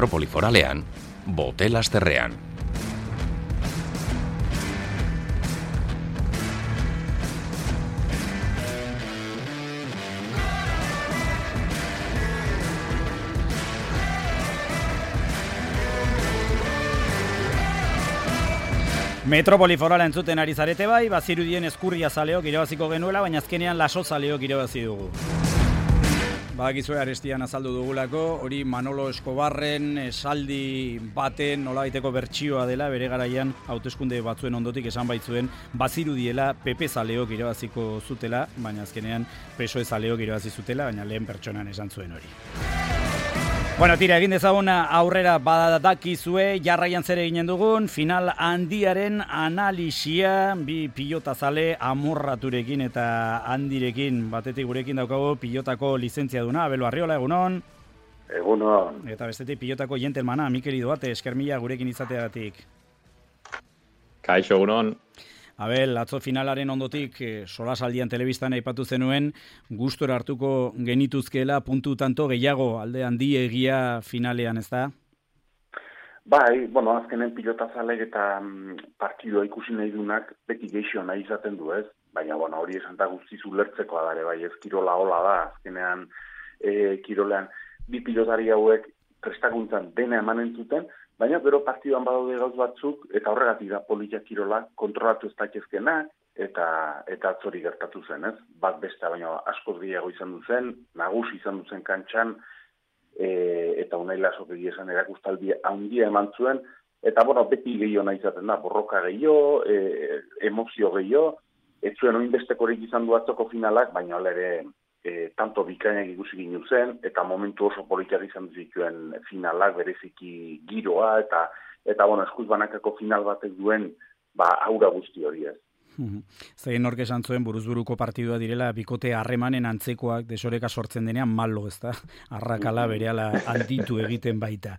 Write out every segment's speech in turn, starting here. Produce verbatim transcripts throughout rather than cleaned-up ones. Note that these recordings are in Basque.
Metropoli Foralean, Botelasderrean. Metropoli Forala entzuten ari zarete bai, bazirudien eskurria zaleok irabaziko genuela, baina azkenean laso zaleok irabazi dugu. Badakizue arestian azaldu dugulako, hori Manolo Escobarren esaldi baten nolabaiteko bertsioa dela, bere garaian hauteskunde batzuen ondotik esan baitzuen, bazirudiela P P zaleok irabaziko zutela, baina azkenean P S O E zaleok irabazi zutela, baina lehen pertsonan esan zuen hori. Bueno, tira, egin dezagun aurrera badakizue, jarraian zer eginen dugun, final handiaren analisia, bi pilotazale amorraturekin eta handirekin, batetik gurekin daukagu pilotako lizentziaduna, Abel Arriola, egunon? Egunon. Eta bestetik pilotako jentelmana, Mikel Idoate, eskermila gurekin izateagatik. Kaixo, egunon. Abel, atzo finalaren ondotik, eh, solasaldian telebistan aipatu zenuen, gustora hartuko genituzkeela puntu tanto gehiago alde handiegia finalean, ez da? Bai, bueno, azkenen pilotazalek eta mm, partidua ikusi nahi dunak beti geixo nahi izaten du, ez? Baina, bueno, hori esan da guztiz ulertzekoa dare, bai, ez kirola hola da, azkenean e, kirolean bi pilotari hauek prestakuntzan dena emanen zuten, baina bero partiduan badaude gauz batzuk, eta horregatik da politia kirola kontrolatu ez dakezkena, eta eta atzori gertatu zen, ez? Bat beste, baina askoz gehiago izan duzen, nagusi izan duzen kantxan, e, eta Unai Lasok egia esan erakustaldi handia eman zuen, eta bueno, beti gehiago nahi izaten da, borroka gehiago, e, emozio gehiago, ez zuen oinbestekorik izan du atzoko finalak, baina hala ere, E, tanto bikainak ikusi ginu zen, eta momentu oso politiak izan zituen finalak, bereziki giroa, eta, eta bueno, eskuz banakako final batek duen, ba, aura guzti hori ez. Zein nork esan zuen buruzburuko partidua direla, bikote harremanen antzekoak desoreka sortzen denean malo, ez da? Arrakala berehala handitu egiten baita.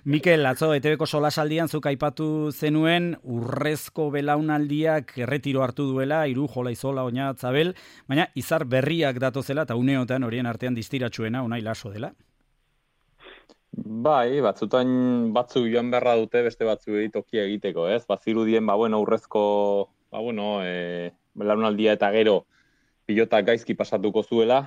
Mikel, atzo, E T Bko solasaldian zuk aipatu zenuen, urrezko belaunaldiak erretiro hartu duela, Hiru, Jola Izola, Oñat, Zabel, baina izar berriak datozela, eta uneotan horien artean distiratsuena, Unai Laso dela. Bai, batzutan batzuk joan beharra dute, beste batzuk tokia egiteko, ez? Bazirudien, ba, bueno, urrezko Ba, bueno, e, belaunaldia eta gero pilotak gaizki pasatuko zuela,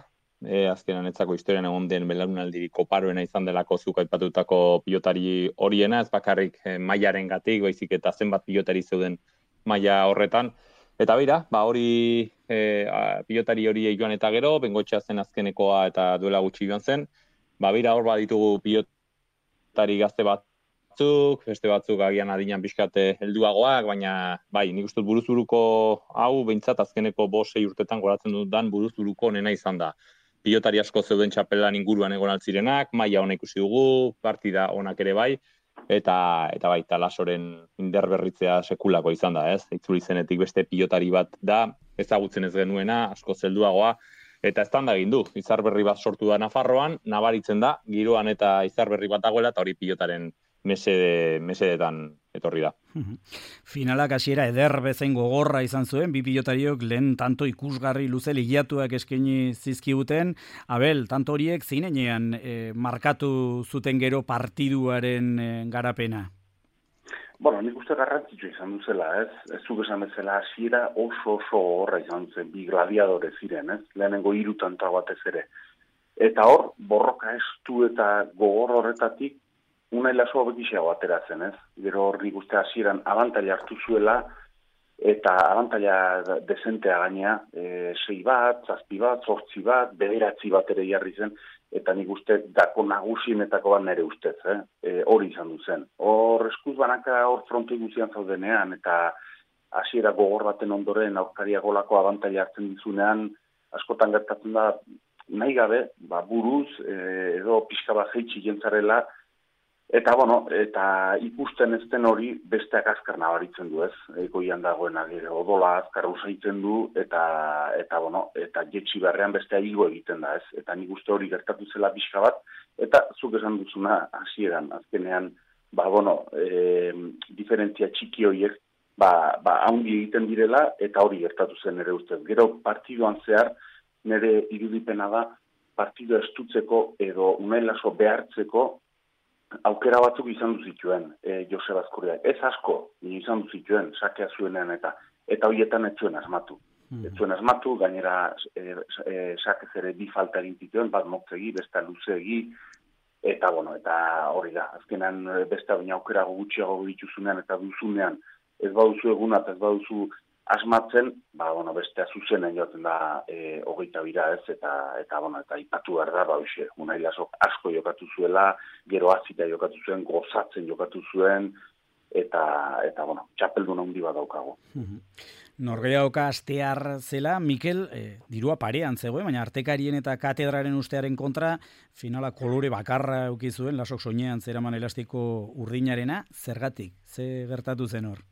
e, azkenan etzako historian egon den belaunaldi koparoena izan delako zuk aipatutako pilotari horiena, ez bakarrik e, mailaren gatik, baizik eta zenbat pilotari zeuden maila horretan. Eta bera, ba, hori e, a, pilotari hori joan eta gero, Bengoetxea zen azkenekoa eta duela gutxi joan zen, ba, bera hor baditugu pilotari gazte bat, batzuk, beste batzuk agian adinan pixkate helduagoak, baina bai, nik uste buruzburuko hau behintzat azkeneko bost sei urtetan goratzen dudan buruzburuko onena izan da. Pilotari asko zeuden txapelan inguruan egon altzirenak, maila ona ikusi dugu, partida onak ere bai, eta eta bai, Lasoren inderberritzea sekulako izan da, ez? Itzuli zenetik beste pilotari bat da, ezagutzen ez genuena, asko helduagoa, eta ez da egin du. Izar berri bat sortu da Nafarroan, nabaritzen da, giroan eta izar berri bat dagoela, eta hori pilotaren mesede, mesedetan etorri da. Finalak hasiera eder bezain gogorra izan zuen, bi pilotariok lehen tanto ikusgarri luze ligiatuak eskaini zizkiguten. Abel, tanto horiek zeinean e, markatu zuten gero partiduaren e, garapena? Bueno, nik uste garrantzitsua izan duzela, ez? Ez zuk esan bezala hasiera oso oso gogorra izan zen, bi gladiadore ziren, ez? Lehenengo hiru tanta batez ere. Eta hor, borroka estu eta gogor horretatik Unai Laso bekiseago ateratzen, ez? Gero hor nik uste hasieran abantaila hartu zuela, eta abantaila desentea gainea, e, sei bat, zazpi bat, zortzi bat, bederatzi bat ere jarri zen, eta nik uste dako nagusienetako bat nire ustez, eh? E, hori izan du zen. Hor eskuz banaka hor fronte guztian zaudenean, eta hasiera gogor baten ondoren aurkaria golako abantaila hartzen dizunean, askotan gertatzen da nahi gabe, ba, buruz, e, edo pixka bat jeitsi jentzarela, Eta, bueno, eta ikusten ez den hori besteak azkar nabaritzen du, ez? Egoian dagoena gero odola azkar usaitzen du, eta, eta, bueno, eta jetxi beharrean bestea higo egiten da, ez? Eta nik uste hori gertatu zela pixka bat, eta zuk esan duzuna hasieran, azkenean, ba, bueno, e, diferentzia txiki horiek, ba, ba, haundi egiten direla, eta hori gertatu zen ere ustez. Gero partiduan zehar, nire irudipena da, partidua estutzeko edo Unai Laso behartzeko, aukera batzuk izan du zituen e, Joseba Azkurdiak. Ez asko, ni izan du zituen, sakea zuenean eta eta horietan ez zuen asmatu. Ez zuen asmatu, gainera e, e, sakez ere bi falta egin zituen, bat motzegi, besta luzeegi, eta bueno, eta hori da, azkenan beste baina aukera gutxiago dituzunean eta duzunean, ez baduzu eguna eta ez baduzu asmatzen, ba, bueno, bestea zuzenen joaten da e, hogeita bira ez, eta, eta, bueno, eta ipatu behar da, ba, hoxe, Unai Lasok asko jokatu zuela, gero azita jokatu zuen, gozatzen jokatu zuen, eta, eta bueno, txapeldun handi bat daukago. Norgehiagoka astear zela, Mikel, eh, dirua parean zegoen, baina artekarien eta katedraren ustearen kontra, finala kolore bakarra eduki zuen, Lasok soinean zeraman elastiko urdinarena, zergatik, ze gertatu zen hor?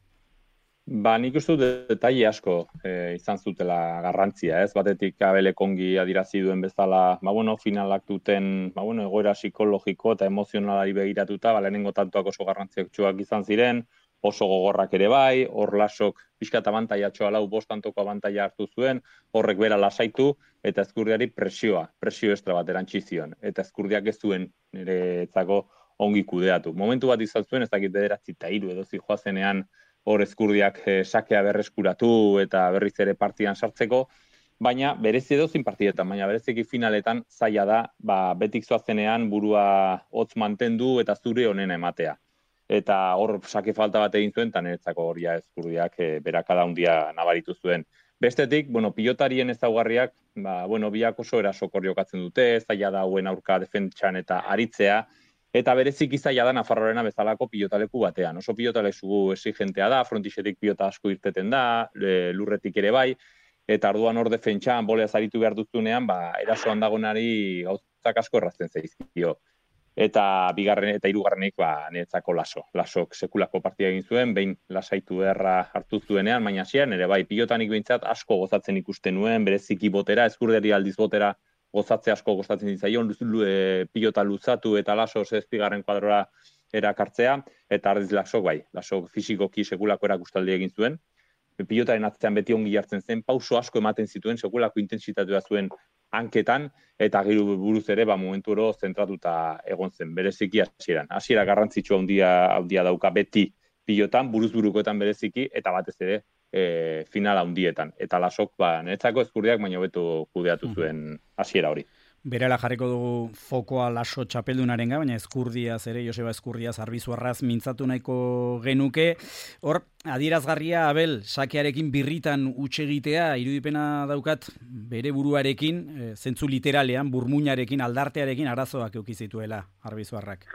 Ba, nik uste dut detaile asko e, izan zutela garrantzia, ez? Batetik Abelek ongi adierazi duen bezala, ba, bueno, finalak duten, ba, bueno, egoera psikologiko eta emozionalari begiratuta, ba, lehenengo tantoak oso garrantzitsuak izan ziren, oso gogorrak ere bai, hor Lasok pixkat abantaiatxoa lau bost tantoko abantaia hartu zuen, horrek bera lasaitu, eta Ezkurdiari presioa, presio estra bat erantzi zion, eta Ezkurdiak ez zuen niretzako ongi kudeatu. Momentu bat izan zuen, ez dakit bederatzi eta hiru edo zijoazenean, hor Ezkurdiak eh, sakea berreskuratu eta berriz ere partidan sartzeko, baina berezi edozin partidetan, baina bereziki finaletan zaila da, ba, betik zoazenean burua hotz mantendu eta zure onena ematea. Eta hor sake falta bat egin zuen, eta niretzako horia Ezkurdiak e, berakada handia nabaritu zuen. Bestetik, bueno, pilotarien ezaugarriak, ba, bueno, biak oso erasokor jokatzen dute, zaila da hauen aurka defentsan eta aritzea, eta bereziki zaila da Nafarroarena bezalako pilotaleku batean. Oso pilotaleku exigentea da, frontixetik pilota asko irteten da, lurretik ere bai, eta orduan hor defentsan, bolea zaritu behar duzunean, ba, erasoan dagonari gauzak asko errazten zaizkio. Eta bigarren eta hirugarrenik ba niretzako Laso. Lasok sekulako partida egin zuen, behin lasaitu beharra hartu zuenean, baina hasieran ere bai pilotanik behintzat asko gozatzen ikusten nuen, bereziki botera, Ezkurdiari aldiz botera gozatze asko gozatzen ditzaion, e, pilota luzatu eta Laso zazpigarren kuadrora erakartzea, eta ardiz Lasok bai, Lasok fisikoki sekulako erakustaldi egin zuen. Pilotaren atzean beti ongi jartzen zen, pauso asko ematen zituen, sekulako intensitatea zuen hanketan, eta gero buruz ere, ba, momentu oro zentratuta egon zen, bereziki hasieran. Hasiera garrantzitsua handia, handia dauka beti pilotan, buruz burukoetan bereziki, eta batez ere e, finala handietan. Eta Lasok, ba, niretzako Ezkurdiak baino hobeto kudeatu zuen hasiera hori. Berela jarriko dugu fokoa Laso txapeldunarenga, baina Ezkurdiaz ere, Joseba Ezkurdiaz Arbizuarraz mintzatu nahiko genuke. Hor, adierazgarria Abel, sakearekin birritan utxegitea, irudipena daukat bere buruarekin, e, zentzu literalean, burmuinarekin, aldartearekin arazoak eukizituela Arbizuarrak.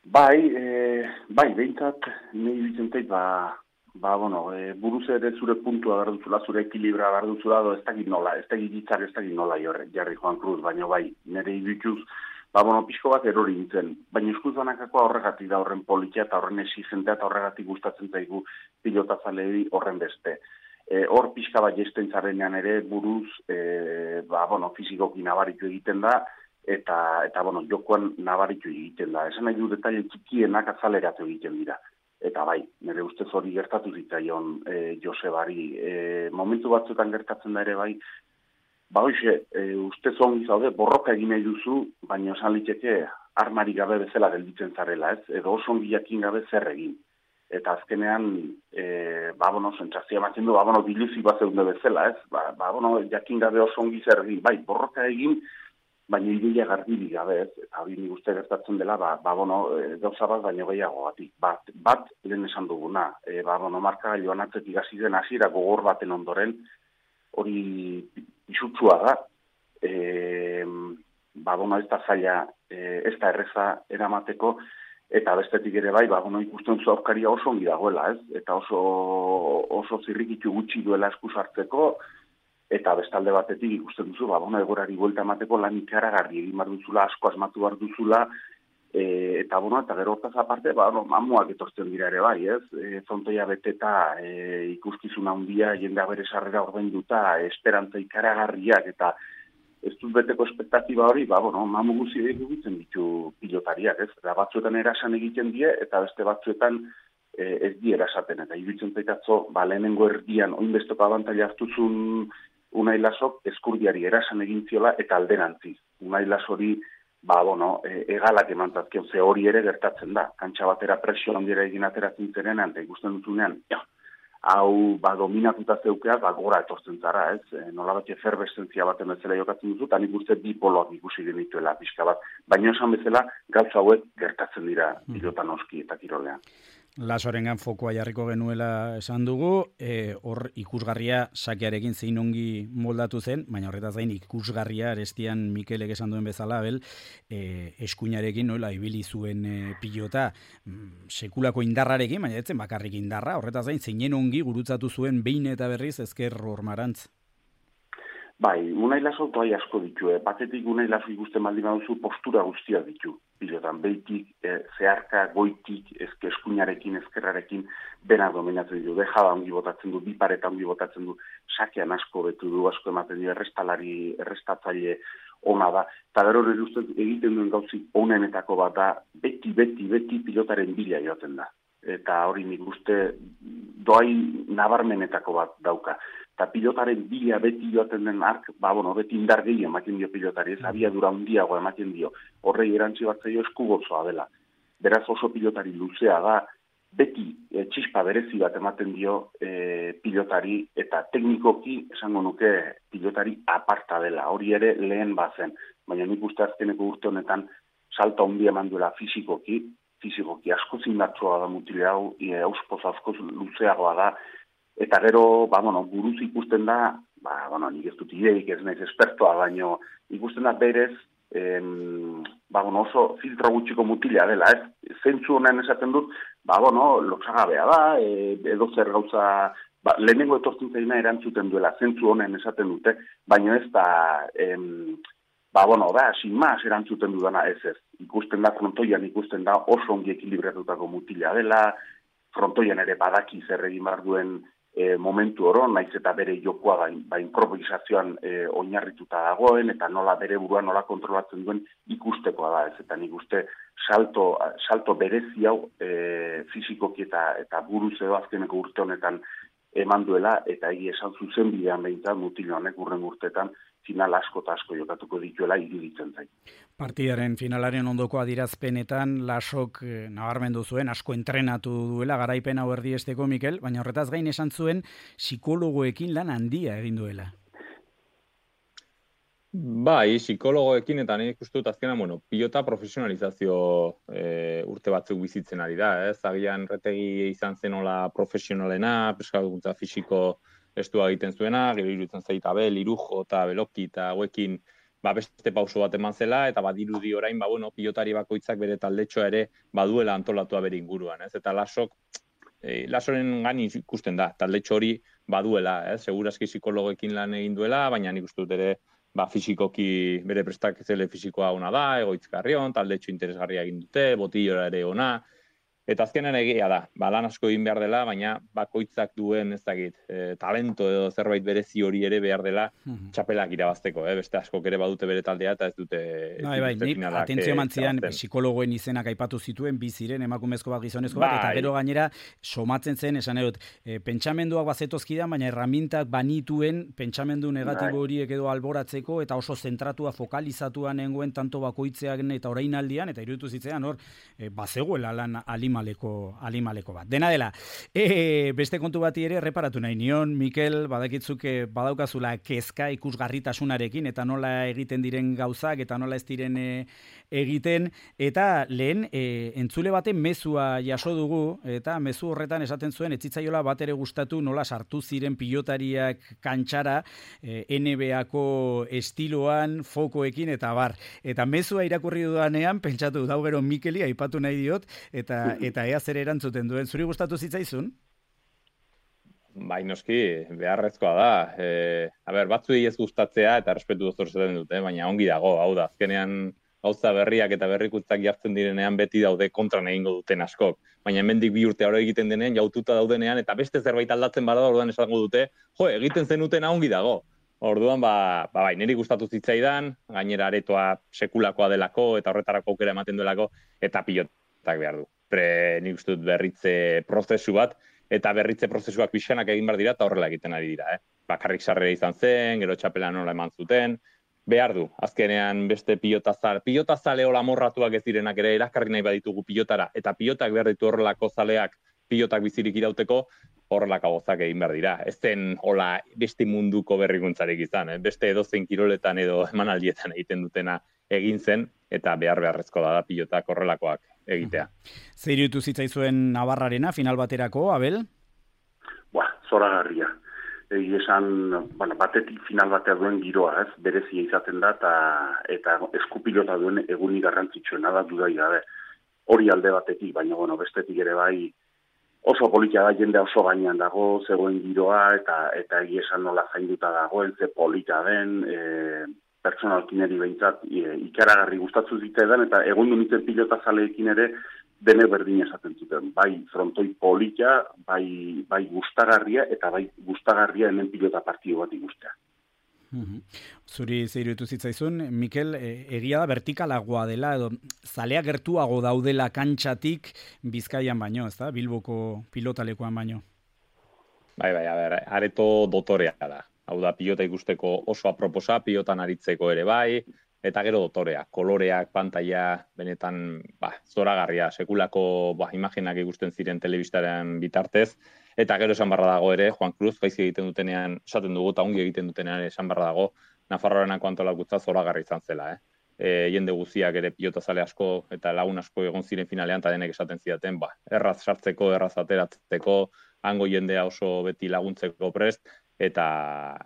Bai, e, bai, behintzat, nahi bizentait, ba, ba, bueno, e, buruz ere zure puntua behar duzula, zure ekilibra behar duzula, ez dakit nola, ez dakit ditzak, ez dakit nola jorre, jarri Juan Cruz, baina bai, nire idutuz, ba, bueno, pixko bat erori nintzen, baina eskuz banakakoa horregatik da horren politia eta horren exigentea eta horregatik gustatzen zaigu pilotazalei horren beste. E, hor pixka bat jesten zarenean ere buruz, e, ba, bueno, fizikoki nabaritu egiten da, eta, eta bueno, jokoan nabaritu egiten da. Esan nahi du detaile txikienak azaleratu egiten dira. Eta bai, nire ustez hori gertatu zitzaion e, Josebari. E, momentu batzuetan gertatzen da ere bai, ba hoxe, e, ustez ongi zaude, borroka egin nahi duzu, baina esan liteke armari gabe bezala gelditzen zarela, ez? Edo oso ongi jakin gabe zer egin. Eta azkenean, e, ba, bueno, sentsazioa ematen du, ba, bueno, diluzi bat zeunde bezala, ez? Ba, ba, bueno, jakin gabe oso ongi zer egin. Bai, borroka egin, baina ideia garbirik gabe, ez? Eta hori nik uste gertatzen dela, ba, ba bueno, gauza bat baino gehiago batik. Bat, bat lehen esan duguna, e, ba, bueno, marka joan atzetik hasi den hasiera gogor baten ondoren, hori pisutsua da, e, ba, bueno, ez da zaila, e, ez da erreza eramateko, eta bestetik ere bai, ba, bueno, ikusten zu aurkaria oso ongi dagoela, ez? Eta oso, oso zirrikitu gutxi duela esku sartzeko, eta bestalde batetik ikusten duzu, ba, bueno, egorari buelta emateko lan ikaragarri egin behar duzula, asko asmatu behar duzula, e, eta, bueno, eta gero hortaz aparte, ba, no, mamuak etortzen dira ere bai, ez? E, Frontoia beteta, e, ikuskizuna handia, jendea bere sarrera ordainduta, esperantza ikaragarriak, eta ez dut beteko espektatiba hori, ba, bueno, mamu guzi egiten ditu pilotariak, ez? Eta batzuetan erasan egiten die, eta beste batzuetan e, ez di erasaten, eta iruditzen zaitatzo, ba, lehenengo erdian, oinbesteko abantaila hartuzun Unai Lasok Ezkurdiari erasan egin ziola eta alderantziz. Unai Lasori ba, bueno, e, egalak emantazkion, ze hori ere gertatzen da. Kantxa batera presio handiera egin ateratzen zerenan, eta ikusten dutunean, ja, hau, ba, dominatuta zeukeaz, ba, gora etortzen zara, ez? E, nola bat eferbeszentzia baten bezala jokatzen duzu, eta nik uste bi poloak ikusi genituela pixka bat. Baina esan bezala, gauza hauek gertatzen dira pilotan oski eta kirolean. Lasorengan fokoa jarriko genuela esan dugu, e, hor ikusgarria sakearekin zein ongi moldatu zen, baina horretaz gain ikusgarria arestian Mikelek esan duen bezala, bel, e, eskuinarekin nola ibili zuen e, pilota mm, sekulako indarrarekin, baina etzen bakarrik indarra, horretaz gain zeinen ongi gurutzatu zuen behin eta berriz ezker Hormarantz. Bai, Unai Laso bai asko ditu, eh? Batetik Unai Laso ikusten baldin baduzu postura guztia ditu. Pilotan, behitik, eh, zeharka, goitik, ezke eskuinarekin, ezkerrarekin, bena dominatzen du, dejada ongi botatzen du, bi pareta ongi botatzen du, sakean asko betu du, asko ematen du, errestalari, errestatzaile ona da. Eta gero egiten duen gauzik onenetako bat da, beti, beti, beti pilotaren bila joaten da. Eta hori nik uste doai nabarmenetako bat dauka. Eta pilotaren bila beti joaten den ark, ba, bueno, beti indar gehi ematen dio pilotari, ez abiadura handiago ematen dio, horrei erantzi bat zaio eskugozoa dela. Beraz oso pilotari luzea da, beti e, txispa berezi bat ematen dio e, pilotari, eta teknikoki esango nuke pilotari aparta dela, hori ere lehen bazen, baina nik uste azkeneko urte honetan salta handia eman duela fizikoki, fizikoki asko zindatzua da mutile hau, e, auspoz asko luzeagoa da, eta gero, ba, bueno, buruz ikusten da, ba, bueno, nik ez dut ideik ez naiz espertoa, baino ikusten da berez, em, ba, bueno, oso filtro gutxiko mutilea dela, ez? Zentzu honen esaten dut, ba, bueno, lotsagabea da, e, edo zer gauza, ba, lehenengo etortzen zaina erantzuten duela, zentzu honen esaten dute, baino ez da, em, ba, bueno, da, sin más erantzuten dudana ez ez. Ikusten da, frontoian ikusten da oso ongi ekilibratutako mutilea dela, frontoian ere badaki zer egin behar duen E, momentu oro, naiz eta bere jokoa ba, ba improvisazioan e, oinarrituta dagoen, eta nola bere burua nola kontrolatzen duen ikustekoa da, ez, eta nik uste salto, salto berezi hau e, fizikoki eta, eta buruz edo azkeneko urte honetan eman duela, eta egi esan zuzen bidean behintzat mutil honek urren urteetan final asko eta asko jokatuko dituela iruditzen zait. Partidaren finalaren ondoko adirazpenetan Lasok eh, nabarmendu zuen, asko entrenatu duela garaipen hau erdiesteko Mikel, baina horretaz gain esan zuen psikologoekin lan handia egin duela. Bai, psikologoekin eta nik uste dut azkenan, bueno, pilota profesionalizazio e, urte batzuk bizitzen ari da, ez? Agian retegi izan zenola profesionalena, peskaduntza fisiko estua egiten zuena, gero iruditzen zaita Abel, Irujo eta Beloki eta hauekin ba, beste pauso bat eman zela, eta badirudi orain, ba, bueno, pilotari bakoitzak bere taldetxoa ere baduela antolatua bere inguruan, ez? Eta Lasok, e, Lasoren gani ikusten da, taldetxo hori baduela, ez? Segurazki psikologoekin lan egin duela, baina nik uste dut ere ba, fisikoki bere prestakzele fisikoa ona da, egoitzkarrion, taldetxo interesgarria egin dute, botillora ere ona, eta azkenan egia da, ba, lan asko egin behar dela, baina bakoitzak duen ez dakit, e, talento edo zerbait berezi hori ere behar dela txapelak irabazteko, eh? Beste askok ere badute bere taldea eta ez dute... Bai, bai, nik atentzio mantzian psikologoen izenak aipatu zituen, bi ziren emakumezko bat gizonezko bat, eta gero gainera somatzen zen, esan edot, e, pentsamenduak bazetozkidan, baina erramintak banituen pentsamendu negatibo horiek edo alboratzeko, eta oso zentratua, fokalizatua nengoen tanto bakoitzeak eta orainaldian, eta iruditu zitzean hor, e, bazegoela lan alimaleko, alimaleko bat. Dena dela, e, beste kontu bati ere reparatu nahi nion, Mikel, badakitzuke badaukazula kezka ikusgarritasunarekin, eta nola egiten diren gauzak, eta nola ez diren e, egiten, eta lehen e, entzule baten mezua jaso dugu, eta mezu horretan esaten zuen, etzitzaiola bat ere gustatu nola sartu ziren pilotariak kantxara, e, N B A-ko estiloan, fokoekin, eta bar. Eta mezua irakurri dudanean, pentsatu dau gero Mikeli, aipatu nahi diot, eta eta ea zer erantzuten duen. Zuri gustatu zitzaizun? Bai, noski, beharrezkoa da. E, a ber, batzuei ez gustatzea eta respetu dozor zaten dute, baina ongi dago, hau da, azkenean gauza berriak eta berrikuntzak jartzen direnean beti daude kontran egingo duten askok. Baina hemendik bi urte hori egiten denean, jaututa daudenean, eta beste zerbait aldatzen bada, orduan esango dute, jo, egiten zenutena ongi dago. Orduan, ba, ba bai, niri gustatu zitzaidan, gainera aretoa sekulakoa delako, eta horretarako aukera ematen duelako, eta pilotak behar du. Pre, nik uste dut berritze prozesu bat, eta berritze prozesuak pixanak egin behar dira, eta horrela egiten ari dira. Eh? Bakarrik sarrera izan zen, gero txapela nola eman zuten, behar du, azkenean beste pilotazale, pilotazale hola morratuak ez direnak ere erakarri nahi baditugu pilotara, eta pilotak behar ditu horrelako zaleak pilotak bizirik irauteko, horrelako gozak egin behar dira. Ez zen hola beste munduko berrikuntzarik izan, eh? Beste edozein kiroletan edo emanaldietan egiten dutena egin zen, eta behar beharrezko da, da pilotak horrelakoak egitea. Zer iruditu zitzaizuen Navarrarena final baterako, Abel? Ba, zoragarria. Egi esan, bueno, batetik final batea duen giroa, ez, berezia izaten da, eta, eta eskupilota duen egunik garrantzitsuena da dudai gabe. Hori alde batetik, baina, bueno, bestetik ere bai, oso politia da, jende oso gainean dago, zegoen giroa, eta eta egi esan nola zainduta dagoen, ze polita den, e, pertsonalkineri behintzat e, ikaragarri gustatzu ziteedan, eta egun du nintzen pilota zaleekin ere, dene berdin esaten zuten. Bai frontoi polita, bai, bai gustagarria, eta bai gustagarria hemen pilota partido bat ikustea. Zuri zeirutu zitzaizun, Mikel, egia da vertikalagoa dela, edo zalea gertuago daudela kantxatik Bizkaian baino, ez da? Bilboko pilotalekuan baino. Bai, bai, a ber, areto dotorea da. Hau da, pilota ikusteko oso aproposa, pilotan aritzeko ere bai, eta gero dotorea, koloreak, pantaila, benetan, ba, zoragarria, sekulako, ba, imaginak ikusten ziren telebistaren bitartez, eta gero esan barra dago ere, Juan Cruz, gaizki egiten dutenean, esaten dugu, eta ongi egiten dutenean esan barra dago, Nafarroarenako antolakutza zoragarri izan zela, eh? E, jende guziak ere pilotazale asko eta lagun asko egon ziren finalean, eta denek esaten zidaten, ba, erraz sartzeko, erraz ateratzeko, hango jendea oso beti laguntzeko prest, eta,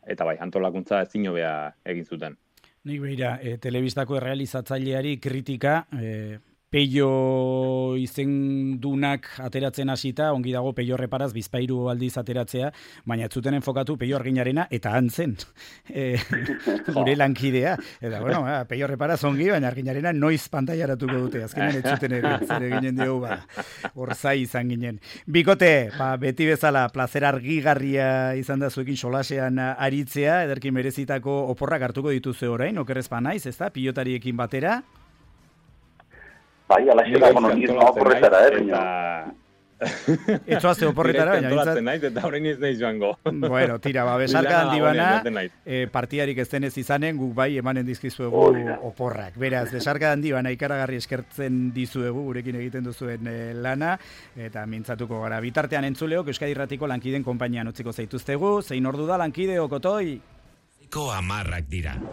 eta bai, antolakuntza ezin hobea egin zuten. Nik behira, e, telebistako errealizatzaileari kritika, e, Peio izendunak ateratzen hasita, ongi dago Peio Reparaz bizpairu aldiz ateratzea, baina ez zuten enfokatu Peio Arginarena eta antzen e, gure lankidea. Eta bueno, ba, Peio Reparaz ongi, baina Arginarena noiz pantailaratuko dute, azkenean ez zuten ere, zer eginen dugu, ba, orzai izan ginen. Bikote, ba, beti bezala, plazer argigarria izan da zuekin solasean aritzea, ederkin merezitako oporrak hartuko dituzue orain, okerrezpa naiz, ez da, pilotariekin batera. Bai, alaxera, bueno, niz no oporretara, eh, eta... Ez zoazte oporretara, baina bintzat... naiz, eta horrein ez nahi joango. Bueno, tira, ba, besarka handi bana, eh, partidarik ez denez izanen, guk bai emanen dizkizuegu oporrak. Beraz, besarka handi bana ikaragarri eskertzen dizuegu, gurekin egiten duzuen eh, lana, eta mintzatuko gara. Bitartean entzuleok, Euskadi Irratiko lankideen konpainian utziko zaituztegu, zein ordu da lankide okotoi? Ko amarrak dira.